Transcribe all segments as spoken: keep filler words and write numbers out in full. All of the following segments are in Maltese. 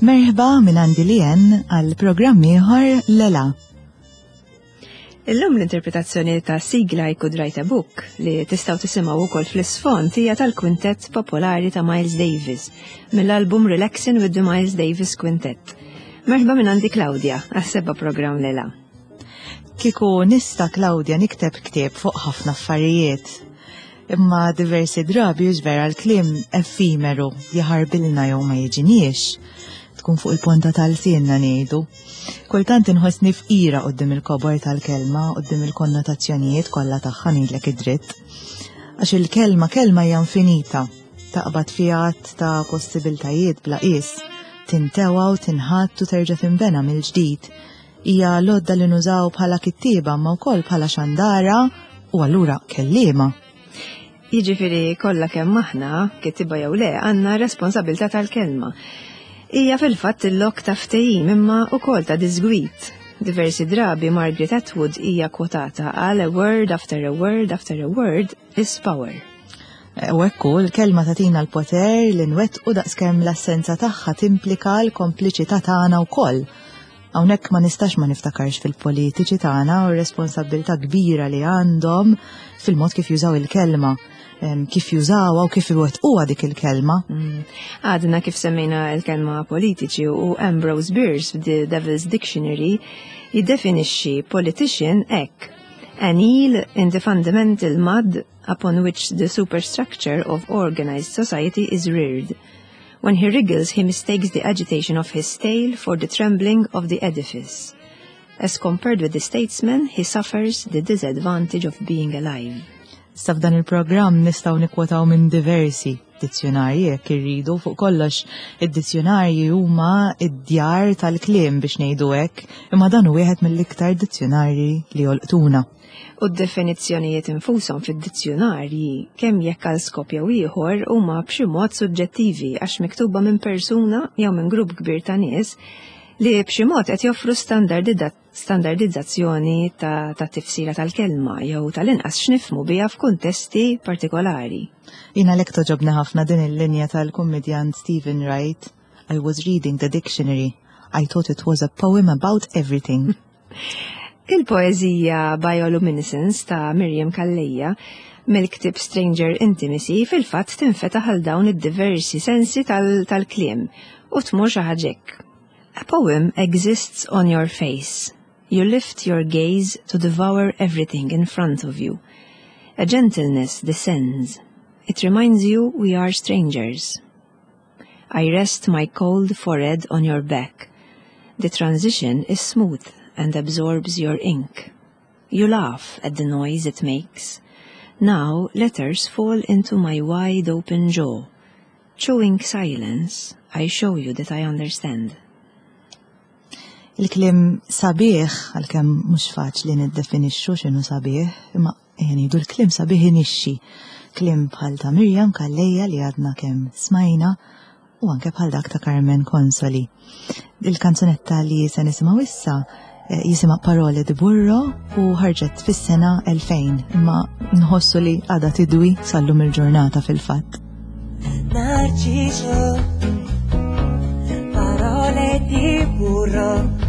Merħba minn għandi Lien għal programm ieħor Lela. Illum l-interpretazzjoni ta' sigla I Could Write a Book li tistgħu tisimgħu wkoll fl-isfond hija tal-kwintett popolari ta' Miles Davis mill-album Relaxing with the Miles Davis Quintet. Merħba minn għandi Claudia għas-seba' programm Lela. Kieku nista', Claudia, nikteb ktieb fuq ħafna affarijiet. Imma diversi drabi vera l-kliem effimeru, jaħarbilna jew ma jiġiniex. Tkun fuq il-ponta tal-lsienna ngħidu. Kultant inħossni fqira quddiem il-kobor tal-kelma, quddiem il-konnotazzjonijiet kollha tagħha, ngħidlek id-dritt. Għax il-kelma kelma hija infinita, taqbad fiha ta' possibiltajiet bla qies, tintewa u tinħatt u terġa' tinbena mill-ġdid. Hija l-għodda li nużaw bħala kittieba ma wkoll bħala xandara u allura kelliema. Jiġifieri kollha kemm aħna, kittieba jew le, għandna responsabilità tal-kelma. Hija fil-fatt il-lok ta' ftehim imma wkoll ta' disgwit. Diversi drabi Margaret Atwood hija kwotata għal "A word after a word after a word is power." U ekku, l-kelma tagħtina l-poter li nwettqu daqskemm l-assenza tagħha timplika l-kompliċità tagħna wkoll. Hawnhekk ma nistax ma niftakarx fil-politiċi tagħna u r-responsabilità kbira li għandhom fil-mod kif jużaw il-kelma, kif jużawha u kif iwettquha dik il-kelma. Mm. Għadna kif semmejna il-kelma politiċi u Ambrose Bierce f'The Devil's Dictionary jiddefinixxi politician hekk: "An eel in the fundamental mud upon which the superstructure of organized society is reared. When he wriggles, he mistakes the agitation of his tail for the trembling of the edifice. As compared with the statesman, he suffers the disadvantage of being alive." Sa f'dan il-programm nistgħu nikwotaw minn diversi dizzjonarji jekk irridu. Fuq kollox, id-dizzjonarji huma id-djar tal-kliem, biex ngħidu hekk, imma dan hu wieħed mill-iktar dizzjonarji li jolqtuna. U d-definizzjonijiet infushom fid-dizzjonarji, kemm jekk għal skop jew ieħor, huma b'xi mod suġġettivi għax miktuba minn persuna jew minn grupp kbir ta' nies li b'xi mod qed joffru standardizzazzjoni ta', ta tifsira tal-kelma jew tal-inqas x'nifhmu biha f'kuntesti partikolari. Jiena lek togħġobni ħafna din il-linja tal-kummedjant Steven Wright: "I was reading the dictionary. I thought it was a poem about everything." Il-poeżija Bioluminescence ta' Miriam Calleja mill-ktib Stranger Intimacy fil-fatt tinfetaħ għal dawn id-diversi sensi tal-kliem u tmur xi ħaġa hekk. A poem exists on your face. You lift your gaze to devour everything in front of you. A gentleness descends. It reminds you we are strangers. I rest my cold forehead on your back. The transition is smooth and absorbs your ink. You laugh at the noise it makes. Now letters fall into my wide open jaw. Chewing silence, I show you that I understand. Il-kliem sabiħ, għalkemm mhux faċli niddefinixxu x'inhu sabiħ, imma ngħidu l-kliem sabiħ inixxi. Kliem bħal ta' Miriam Calleja li għadna kemm smajna u anke bħal dak ta' Carmen Consoli. Il-kanzunetta li se nisimgħu issa eh, jisimha Parole di Burro u ħarġet fis-sena elfejn, imma nħossu li għadha tidwi sal-lum il-ġurnata fil-fatt. Narciso, parole di burro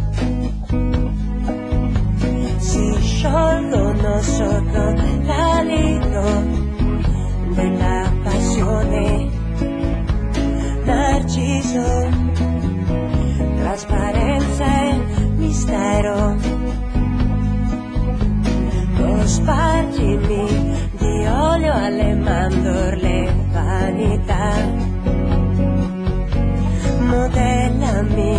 si sciolgono sotto l'alito della passione. Narciso, trasparenza e mistero. Cospargimi di olio alle mandorle, vanità. Modellami.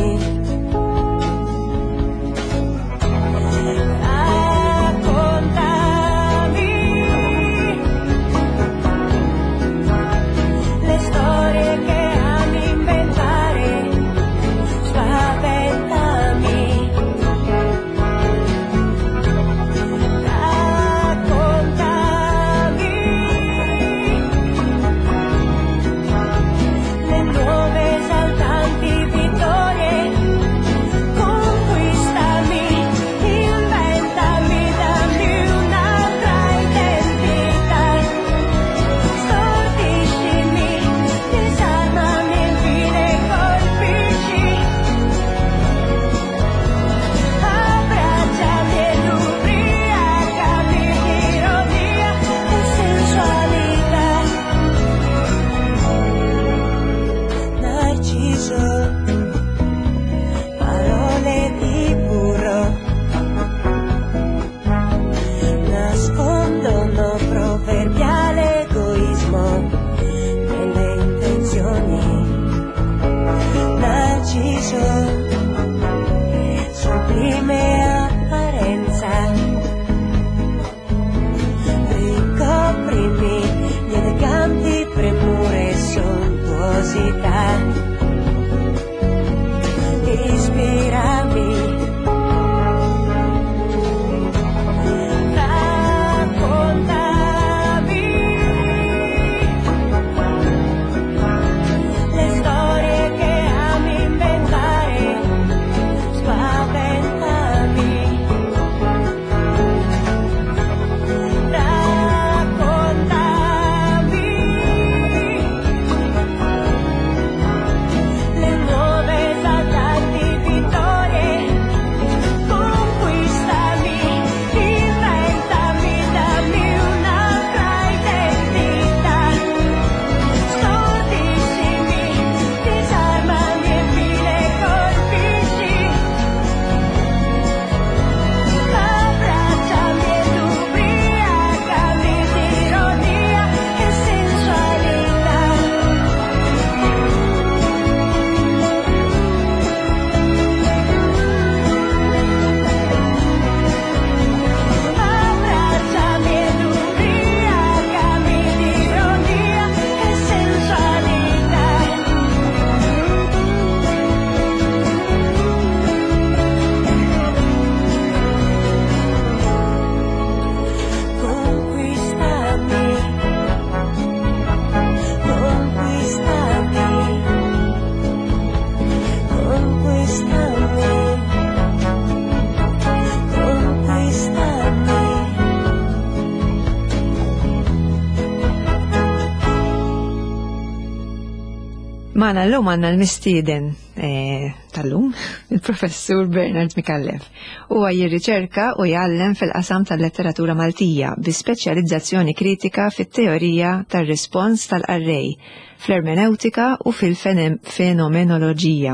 Magħna llum għandna l-mistieden eh, tal-lum, il-professur Bernard Micallef. Huwa jirriċerka u jgħallem fil-qasam tal-letteratura Maltija bi speċjalizzazzjoni kritika fit-teorija tar-rispons tal-qarrej, fl-ermeneutika u fil-fenomenoloġija.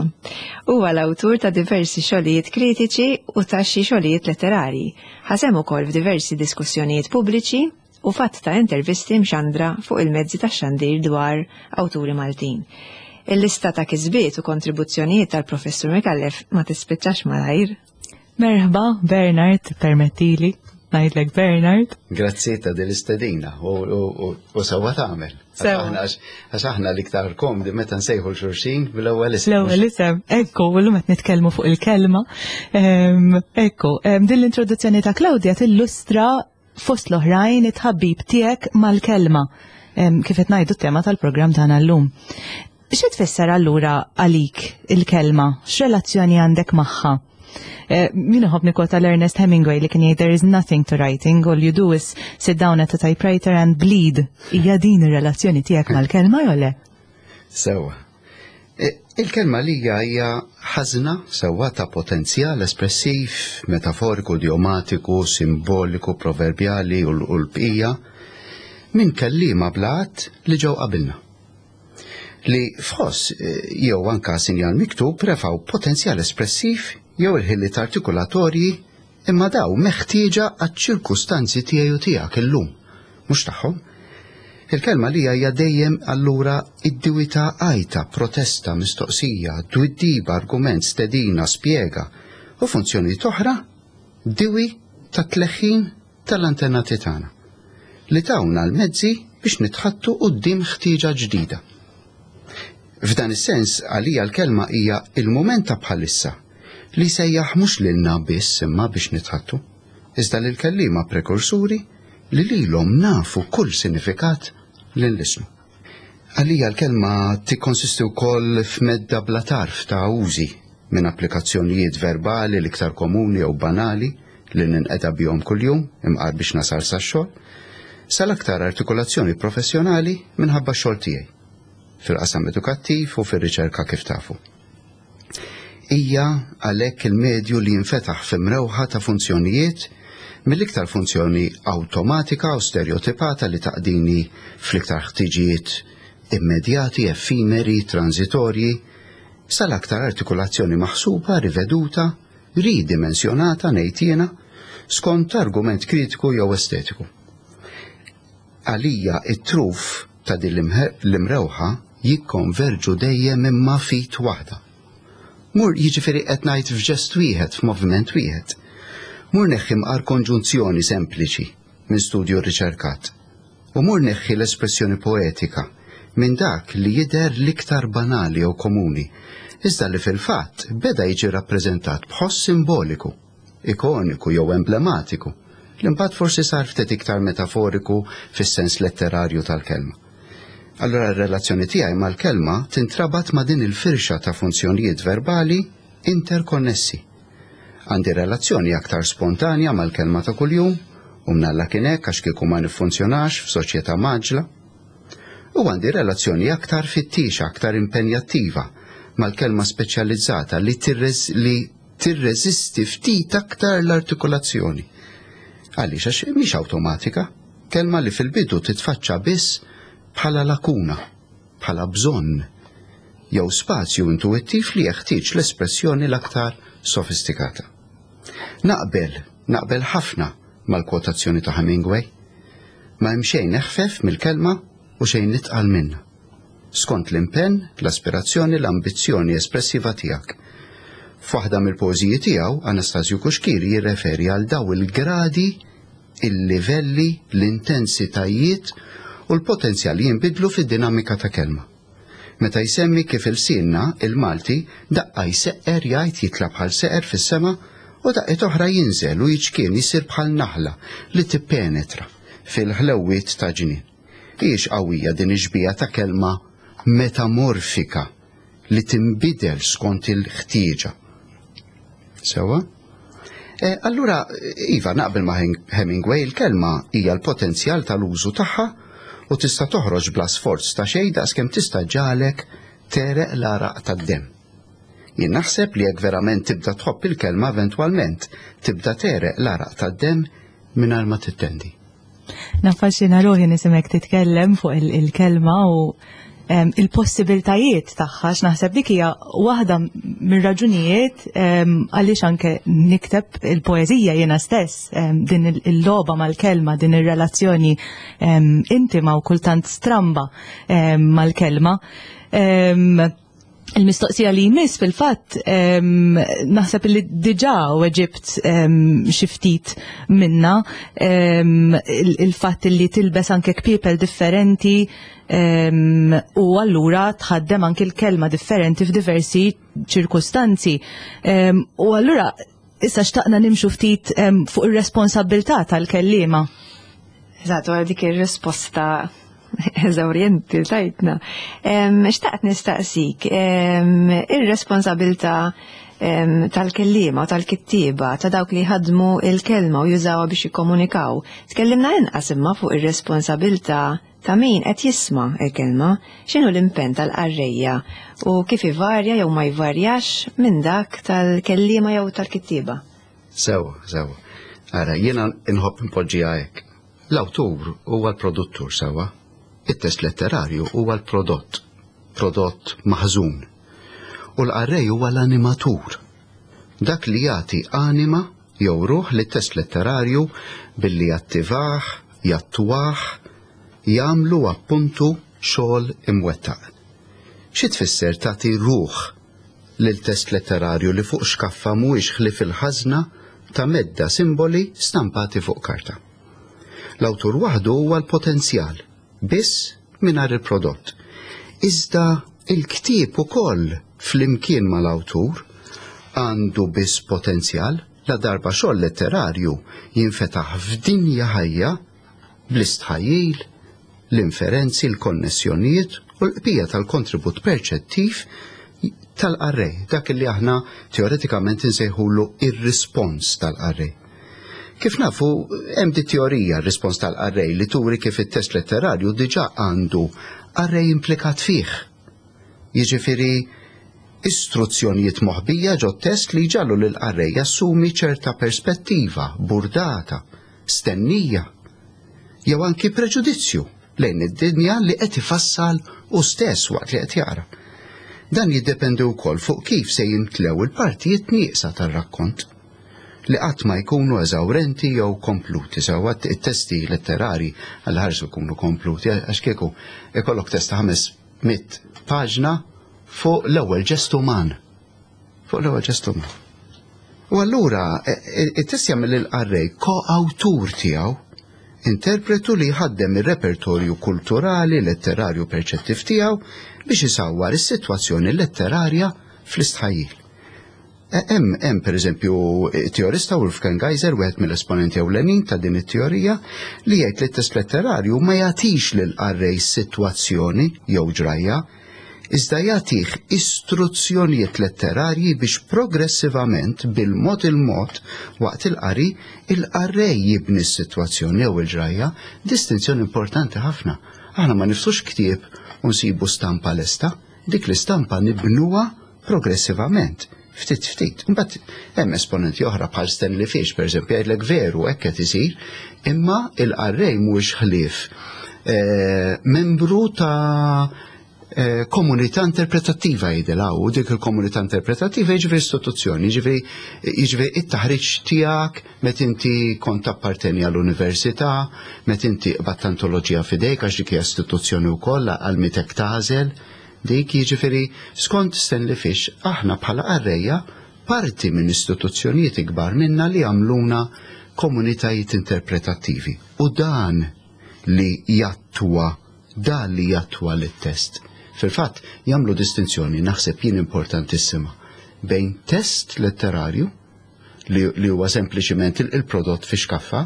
Huwa l-awtur ta' diversi xogħlijiet kritiċi u ta' xi xogħlijiet letterari. Ħa sehem ukoll f'diversi diskussjonijiet pubbliċi u fatt ta' intervisti mxandra fuq il-mezzi ta' xandir dwar awturi Maltin. Il-lista ta' kisbiet u kontribuzzjonijiet tal-professur Micallef ma tispiċċax malajr. Merħba, Bernard, permettili, ngħidlek Bernard. Grazzi ta' dil-istedina u sewwa tagħmel. Għax aħna l-iktar komdi meta nsejħu 'l xulxin bil-ewwel isem. L-ewwel isem, ekku, u llum qed nitkellmu fuq il-kelma. Ekku, din l-introduzzjoni ta' Claudia tillustra fost l-oħrajn it-tħabbib tiegħek mal-kelma. Kif qed ngħidu t-tema tal-programm tagħna llum. Xi tfisser allura għalik il-kelma? X'relazzjoni għandek magħha? Min iħobb nikkwota l-Ernest Hemingway li kien jgħid there is nothing to writing, all you do is sit down at a typewriter and bleed. Hija din ir-relazzjoni tiegħek mal-kelma jew le? Sewwa. Il-kelma lija hija ħażna sewwa ta' potenzjal espressiv, metaforiku, idiomatiku, simboliku, proverbjali u l-bqija minn kelliema bla għadd li ġew qabilna. Li f'ħoss jew anka sinjal miktub refgħu potenzjal espressiv jew il-ħiliet artikulatorji imma daw meħtieġa għaċ-ċirkustanzi tiegħi u tiegħek illum, mhux tagħhom. Il-kelma li hija dejjem allura id-diwi ta' għajta, protesta, mistoqsija, twiddiba, argument, stedina, spjega u funzjoni oħra diwi ta' tleħħin tal-antenati tagħna li tawna l-mezzi biex nitħattu quddiem ħtieġa ġdida. F'dan is-sens għalija l-kelma hija il-mument ta' bħalissa li sejjaħ mhux lilna biss imma biex nitħattu, iżda lil kelliema prekursuri li lilhom nafu kull sinifikat li nlisnu. Għalija l-kelma tikkonsisti wkoll f'medda bla tarf ta' użi minn applikazzjonijiet verbali l-iktar komuni jew banali li ninqeda bihom kuljum imqar biex nasal sax-xogħol, sal-aktar artikolazzjoni professjonali minħabba x-xogħol tiegħi fil-qasam edukattiv u fir-riċerka kif tafu. Hija għalhekk il-medju li jinfetaħ f'imrewħa ta' funzjonijiet mill-iktar funzjoni awtomatika u stereotipata li taqdini fl-iktar ħtiġijiet immedjati, effimeri, transitorji, sal-aktar artikolazzjoni maħsuba, riveduta, ridimensjonata ngħid jiena, skont argument kritiku jew estetiku. Għalija it-truf ta' din l-imrewħa jikkonverġu dejjem imma fit waħda. Mur jiġifieri qed ngħid f'ġest wieħed, f'moviment wieħed. Mur neħħi mqar konġunzjoni sempliċi minn studju riċerkat. U mur neħħi l-espressjoni poetika minn dak li jidher l-iktar banali jew komuni, iżda li fil-fatt beda jiġi rappreżentat b'ħoss simboliku, ikoniku jew emblematiku, li mbagħad forsi sar ftit iktar metaforiku fis-sens letterarju tal-kelma. Allora r-relazzjoni tiegħi mal-kelma tintrabat ma' din il-firxa ta' funzjonijiet verbali interkonnessi. Għandi relazzjoni aktar spontanja mal-kelma ta' kuljum, u mnalla kien hekk għax kieku ma niffunzjonax f'soċjetà maġla. U għandi relazzjoni aktar fittixa, aktar impenjattiva mal-kelma speċjalizzata li li tirreżisti ftit aktar l-artikolazzjoni. Għaliex għax mhix awtomatika, kelma li fil-bidu titfaċċa biss bħala lakuna, bħala bżonn, jew spazju intuittiv li jeħtieġ l-espressjoni l-aktar sofistikata. Naqbel, naqbel ħafna mal-kwotazzjoni ta' Hemingway. Ma hemm xejn eħfef mill-kelma u xejn itqal minnha. Skont l-impenn, l-aspirazzjoni, l-ambizzjoni espressiva tiegħek. F'waħda mill-poeżiji tiegħu, Anastasju Cuschieri jirreferi għal daw il-gradi, il-livelli, l-intensitajiet u l-potenzjal jinbidlu fid-dinamika ta' kelma. Meta jsemmi kif il-sinna, il-Malti, daqqa jseqqer jgħid jitla bħal seqer fis-sema u daqqiet oħra jinżel u jiċkien jisir bħal naħla li tippenetra fil-ħlewwiet ta' ġnien. Hijiex qawwija din ix-xbieha ta' kelma metamorfika li tinbidel skont il-ħtieġa. Sewwa? E, allura, iva, naqbel ma' Hemingway, il-kelma hija l-potenzjal tal-użu tagħha u tista' toħroġ bla sforz ta' xejn daqskemm tista' ġalek Tegħreq l-għaraq tad-demm. Jien naħseb li jekk verament tibda tħobb il-kelma, eventwalment tibda tegħreq l-għaraq tad-demm mingħajr ma tittendi. Naffaxxina ruħi nisimek titkellem fuq il-kelma u il-possibiltajiet tagħha, naħseb dik hija waħda mir-raġunijiet għaliex anke nikteb il-poeżija jiena stess, din il-logħba mal-kelma, din ir-relazzjoni intima u kultant stramba mal-kelma. Il-mistoqsija li jmiss fil-fatt naħseb li diġà weġibt xi ftit minna, il-fatt li tilbes anke kpiepel differenti u allura tħaddem anke l-kelma differenti f'diversi ċirkustanzi. U allura issa xtaqna nimxu ftit fuq ir-responsabilità tal-kelliema. Eżatt, wara dik ir-risposta eżawrjenti tajtna. Xtaqt nistaqsik, ir-responsabilità tal-kelliema u tal-kittieba, ta' dawk li ħadmu il-kelma u jużawha biex jikkomunikaw. Tkellimna inqas imma fuq ir-responsabilità ta' min qed jisma' il-kelma, x'inhu l-impenn tal-qarrejja u kif ivarja jew ma jvarjax minn dak tal-kelliema jew tal-kittieba. Sewa, sewa. Ara, jiena nħobb npoġġiha hekk. L-awtur huwa l-produttur, sewa. It-test letterarju huwa l-prodott, prodott maħżun. U l-qarrej huwa l-animatur. Dak li jagħti anima jew ruħ lit-test letterarju billi jattivah, jattwah, jagħmlu appuntu xogħol imwettaq. Xi tfisser tagħti ruħ lil test letterarju li fuq xkaffa mhuwiex ħlief il-ħażna ta' medda simboli stampati fuq karta? L-awtur waħdu huwa l-potenzjal, biss mingħajr il-prodott. Iżda il-ktieb ukoll flimkien mal-awtur għandu biss potenzjal la darba xogħol letterarju jinfetaħ f'dinja ħajja bl-istħajjil, l-inferenzi, l-konnessjonijiet u l-qbija tal-kontribut perċettiv tal-qarrej, dak li aħna teoretikament insejħulu ir-rispons tal-qarrej. Kif nafu, hemm di teorija r-rispons tal-qarrej li turi kif it-test letterarju diġà għandu qarrej implikat fih. Jiġifieri istruzzjonijiet moħbija ġo test li jġagħlu lil qarrej jassumi ċerta perspettiva, burdata, stennija, jew anki preġudizzju lejn id-dinja li qed ifassal u stess waqt li qed jaqra. Dan jiddependi wkoll fuq kif se jimtlew il-partijiet nieqsa tar-rakkont li qatt ma jkunu eżawrenti jew kompluti. Sewwa, it-testi letterari għal ħarsu jkunu kompluti, għax kieku ikollok test ta' ħames mitt paġna fuq l-ewwel ġest uman. Fuq l-ewwel ġest uman. U allura it-test jagħmel il-qarrej ko-awtur tiegħu, interpretu li jħaddem ir-repertorju kulturali, letterarju perċettiv tiegħu biex isawwar is-sitwazzjoni letterarja fl-istħajjil. Hemm hemm pereżempju teorista Wolfgang Geiser, wieħed mill-esponenti ewlenin ta' din it-teorija, li jgħid li t-test letterarju ma jagħtix lil qarrej sitwazzjoni jew ġrajja, iżda jagħtih istruzzjonijiet letterarji biex progressivament bil-mod il-mod waqt il-qari il-qarrej jibni s-sitwazzjoni jew il-ġrajja, distinzjoni importanti ħafna. Aħna ma niftħux ktieb u nsibu stampa lesta, dik l-istampa nibnuha progressivament, ftit ftit. Imbagħad hemm esponenti oħra bħal Stanley Fish, pereżempju, jgħidlek veru hekk qed isir, imma il-qarrej mhuwiex ħlief eh, membru ta' eh, komunità interpretattiva jgħidilha, u dik il-komunità interpretattiva jiġifieri istituzzjoni, jiġifieri jiġifieri it-taħriġ tiegħek meta inti kont apparteni għall-università, meta inti qbadt antoloġija f'idejk għax dik hija istituzzjoni wkoll għal mitek tagħżel. Dik jiġifieri skont Stanley Fish aħna bħala qarrejja parti minn istituzzjonijiet ikbar minna li għamluna komunitajiet interpretattivi. U dan li jattwa, dan li jattwa lit-test. Fil-fatt jagħmlu distinzjoni naħseb jien importantissima bejn test letterarju li, li huwa sempliċiment il-prodott fi xkaffa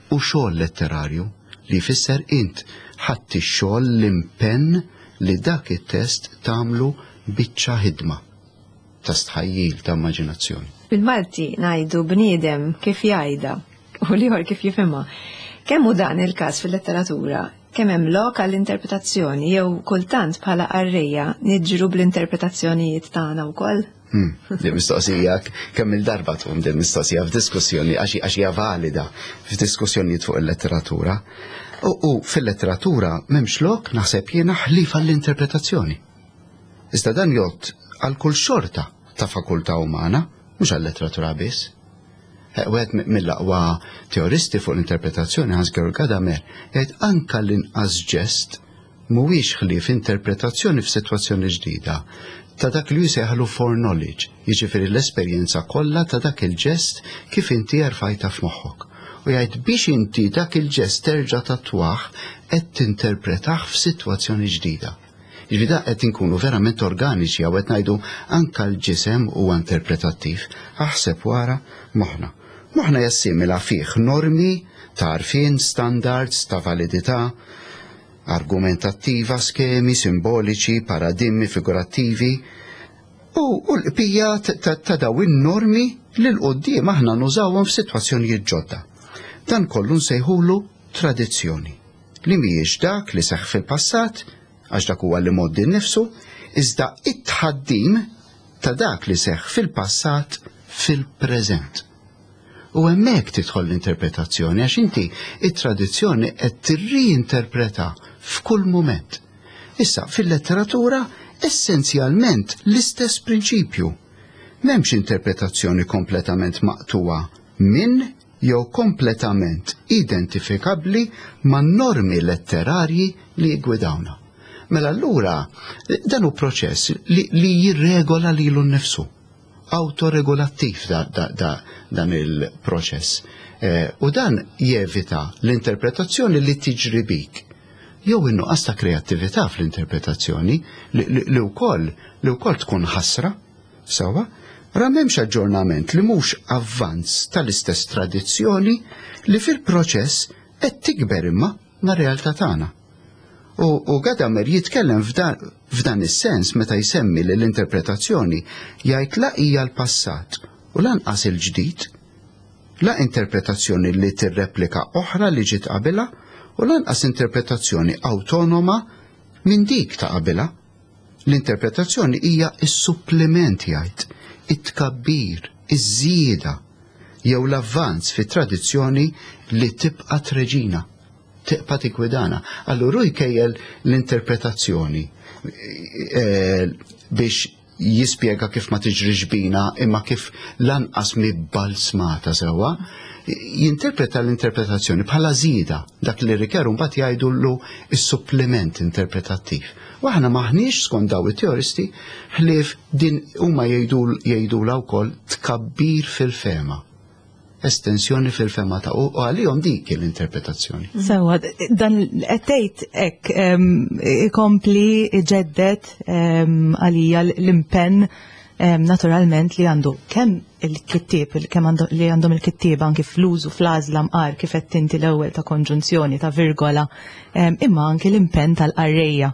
u xogħol letterarju li jfisser int ħadd ix-xogħol, l-impenn li dak it-test tagħmlu biċċa ħidma ta' stħajjil, ta' immaġinazzjoni. Bil-Malti ngħidu bniedem kif jgħidha u l-ieħor kif jifhimha. Kemm hu dan il-każ fil-letteratura? Kemm hemm lok għall-interpretazzjoni jew kultant bħala qarrejja niġru bl-interpretazzjonijiet tagħna wkoll? Hmm, din mistoqsija kemm il-darba tqum din mistoqsija f'diskussjoni għax hija valida f'diskussjonijiet fuq il-letteratura. U, u fil-letteratura m'hemmx lok, naħseb jiena, ħlief għall-interpretazzjoni. Iżda dan jgħodd għal kull xorta ta' fakultà umana, mhux għal-letteratura biss. Eh, wieħed mill-aqwa teoristi fuq l-interpretazzjoni, Hans-Georg Gadamer, jgħid anka l-inqas ġest mhuwiex ħlief interpretazzjoni f'sitwazzjoni ġdida ta' dak li jsejħlu foreknowledge, jiġifieri l-esperjenza kollha ta' dak il-ġest kif inti erfajta f'moħħok. U jgħid biex inti dak il-ġest terġa' tattwah, qed tinterpretah f'sitwazzjoni ġdida. Jiġifieri da qed inkunu verament organiċi għaw qed ngħidu anka l-ġisem huwa interpretattiv. Aħseb wara moħħna. Moħħna jassimila fih normi ta' għarfien, standards ta' validità argumentattiva, skemi simboliċi, paradigmi figurattivi u, u l-qbija ta', ta daw in-normi li 'l quddiem aħna nużawhom f'sitwazzjonijiet ġodda. Dan kollu nsejħulu tradizzjoni li mhijiex dak li seħħ fil-passat, għax dak huwa l-imgħoddi nnifsu, iżda it-tħaddim ta' dak li seħħ fil-passat fil-preżent. U hemmhekk tidħol l-interpretazzjoni, għax inti it-tradizzjoni qed tirriinterpreta f'kull moment. Issa, fil-letteratura essenzjalment l-istess prinċipju. M'hemmx interpretazzjoni kompletament maqtuwa minn jew kompletament identifikabbli ma' normi letterarji li jgwidawna. Mela allura dan hu proċess li, li jirregola lilu nnifsu, autoregolattiv da, da, da, dan il-proċess. Eh, u dan jevita l-interpretazzjoni li tiġri bik jew in-nuqqas ta' kreattività fl-interpretazzjoni li, li, li wkoll li wkoll tkun ħasra, sewwa, ra m'hemmx aġġornament li mhux avvanz tal-istess tradizzjoni li fil-proċess qed tikber imma mar-realtà tagħna. U, u Gadamer jitkellem f'dan, f'dan is-sens meta jsemmi li l-interpretazzjoni, jgħid, la hija l-passat u lanqas il-ġdid, la interpretazzjoni li tirreplika oħra li ġiet qabilha u lanqas interpretazzjoni autonoma minn dik ta' qabilha. L-interpretazzjoni hija is-supplement, jgħid, it-tkabbir, iż-żieda jew l-avvanz fit-tradizzjoni li tibqa' treġina, tibqa' tiggwidana. Allura jkejjel l-interpretazzjoni eh, biex jispjega kif ma tiġrix bina imma kif lanqas mi balsmata sewwa, jinterpreta l-interpretazzjoni bħala żieda, dak li Ricoeur mbagħad jgħidullu is-supplement interpretattiv. U aħna maħniex, skont daw it-teoristi, ħlief din huma jgħidulha wkoll tkabbir fil-fehma, estensjoni fil-fehma ta' u għalihom dik l-interpretazzjoni. Sewwa, dan qed tgħid hekk ikompli iġedded għalija l-impenn naturalment li għandu kemm il-kittieb, kemm li għandhom il-kittieba anki fl-użu, fl-għażla mqar kif qed tinti l-ewwel ta' konġunzjoni, ta' virgola, imma anki l-impenn tal-qarrejja.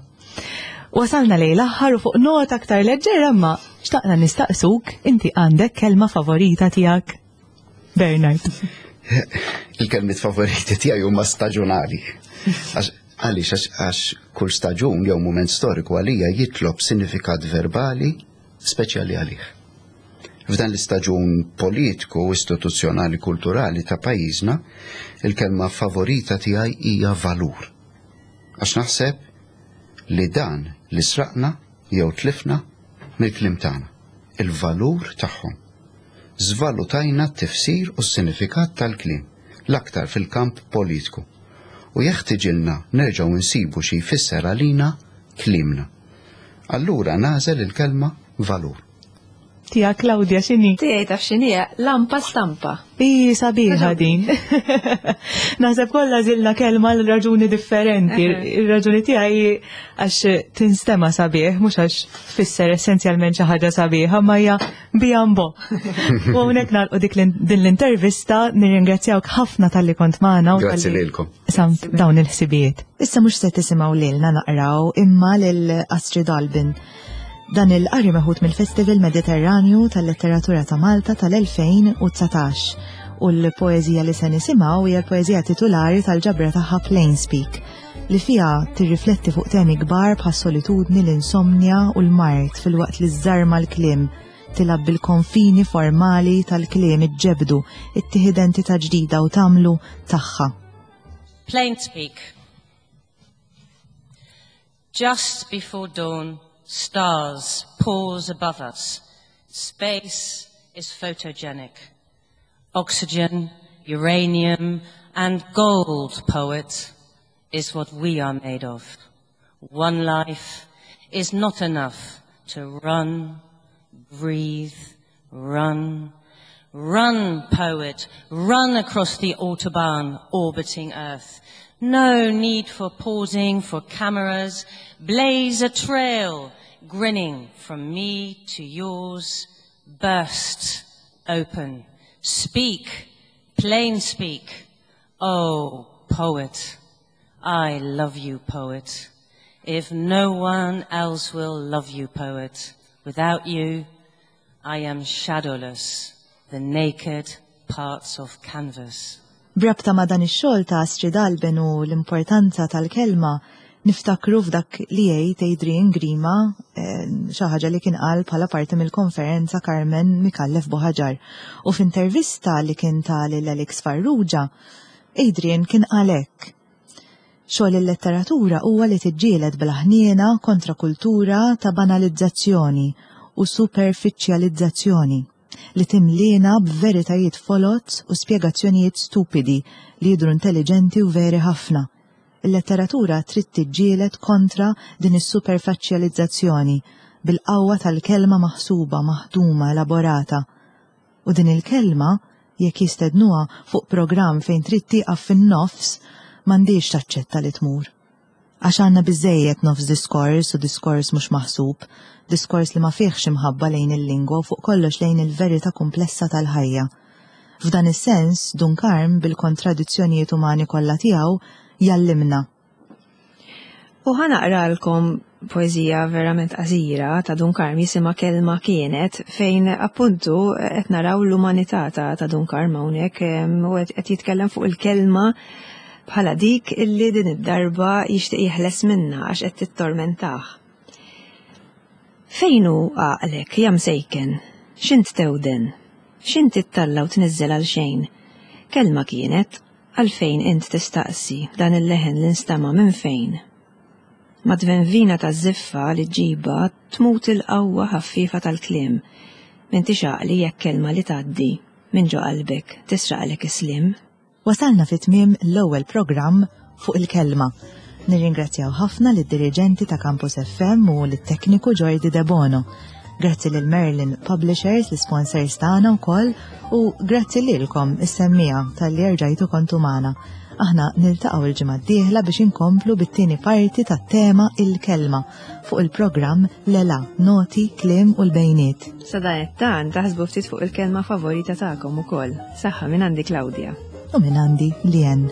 Wasalna lejn l-aħħar u fuq nota aktar leġġera, imma xtaqna nistaqsuk, inti għandek kelma favorita tiegħek? Bernard. Il-kelmiet favoriti tiegħi huma staġunali. Għaliex? Għax kull staġun jew mument storiku għalija jitlob sinifikat verbali speċjali għalih. F'dan l-istaġun politiku, istituzzjonali, kulturali ta' pajjiżna, il-kelma favorita tiegħi hija valur. Għax naħseb li dan li sraqna jew tlifna mill-kliem tagħna, il-valur tagħhom. Żvalutajna t-tifsir u s-sinifikat tal-kliem, l-aktar fil-kamp politiku. U jeħtiġilna nerġgħu nsibu xi jfisser għalina kliemna. Allura nagħżel il-kelma valur. Tija Claudia x'inhi? Tiegħi taf x'inhi? Lampa stampa. I sabiħa din. Naħseb kollha għażilna kelma l raġuni differenti. Ir-raġuni tiegħi għax tinstema sabiħ, mhux għax tfisser essenzjalment xi ħaġa sabiħa, ma hija bijambo. U hawnhekk nagħlqu dik din l-intervista, nirringrazzjawk ħafna talli kont magħna. Grazzi lilkom. Samt dawn il-ħsibijiet. Issa mhux se tisimgħu lilna naqraw imma lil Astrid Albin. Dan il-qari meħud mill-Festival Mediterranju tal-Letteratura ta' Malta tal-elfejn u dsatax u l-poeżija li se nisimgħu hija l-poeżija titulari tal-ġabra tagħha Plain Speak. li fiha tirrifletti fuq temi kbar bħas-solitudni, l-insomnja u l-mard filwaqt li żżarma l-kliem tilgħab bil-konfini formali tal-kliem iġġebdu, ittih identità ġdida u tagħmlu tagħha. Plain speak. Just before dawn, stars pause above us. Space is photogenic. Oxygen, uranium, and gold, poet, is what we are made of. One life is not enough to run, breathe, run, run, poet, run across the autobahn orbiting Earth. No need for pausing, for cameras. Blaze a trail, grinning from me to yours. Burst open. Speak, plain speak. Oh, poet, I love you, poet. If no one else will love you, poet, without you, I am shadowless, the naked parts of canvas. B'rabta ma' dan ix-xogħol ta' Astrid Alben u l-importanza tal-kelma, niftakru f'dak li jgħid Adrian Grima, eh, xi ħaġa li kien qal bħala parti mill-konferenza Carmen Micallef Buhagiar. U f'intervista li kien ta lil Alex Farrugia, Adrian kien qal hekk. Xogħol il-letteratura huwa li tiġġieled bla ħniena kontra kultura ta' banalizzazzjoni u superfiċjalizzazzjoni li timlina b'veritajiet foloz u spjegazzjonijiet stupidi li jidru intelligenti u veri ħafna. Il-letteratura trid tiġġieled kontra din is-superfaċjalizzazzjoni bil-qawwa tal-kelma maħsuba, maħduma, elaborata. U din il-kelma, jekk jistednuha fuq programm fejn trid tieqaf fin-nofs, m'għandix taċċetta li tmur. Għax għandna biżejjed nofs diskors u diskors mhux maħsub, diskors li ma fihx imħabba lejn il-lingwa u fuq kollox lejn il-verità komplessa tal-ħajja. F'dan is-sens, Dun Karm bil-kontradizzjonijiet umani kollha tiegħu jallimna. U ħa naqralkom poezija verament qasira ta' Dun Karm jisimha Kelma Kienet fejn appuntu qed naraw l-umanità ta', ta' Dun Karm hawnhekk u qed jitkellem fuq il-kelma bħala dik illi din id-darba jixtieq jeħles minna għax qed tittormentah. Fejn hu għaqlek, ja msejken? X'int tewden? X'int ittalla u tniżżel għal xejn? Kelma kienet, għalfejn int tistaqsi dan il-leħen li nstama minn fejn? Mad-tvenvina ta' żiffa li ġiba tmut il-qawwa ħaffifa tal-kliem. M'intix għaqli jekk kelma li tgħaddi minn ġo qalbek tisraqlek is-sliem. Wasalna fi tmiem l-ewwel programm fuq il-kelma. Nirringrazzjaw ħafna lid-diriġenti ta' Campus FM u lit-tekniku Jordi Debono. Grazzi lil Merlin Publishers, l-sponsors tagħna wkoll, u grazzi lilkom is-semmiegħa talli rġajtu kontu magħna. Aħna niltaqgħu il-ġimgħa d-dieħla biex inkomplu bit-tieni parti tat-tema il-kelma fuq il-programm Lela, Noti, Kliem u l-Bejniet. Sadanittant taħsbu ftit fuq il-kelma favorita tagħkom ukoll. Saħħa minn għandi Claudia. U minn għandi Lien.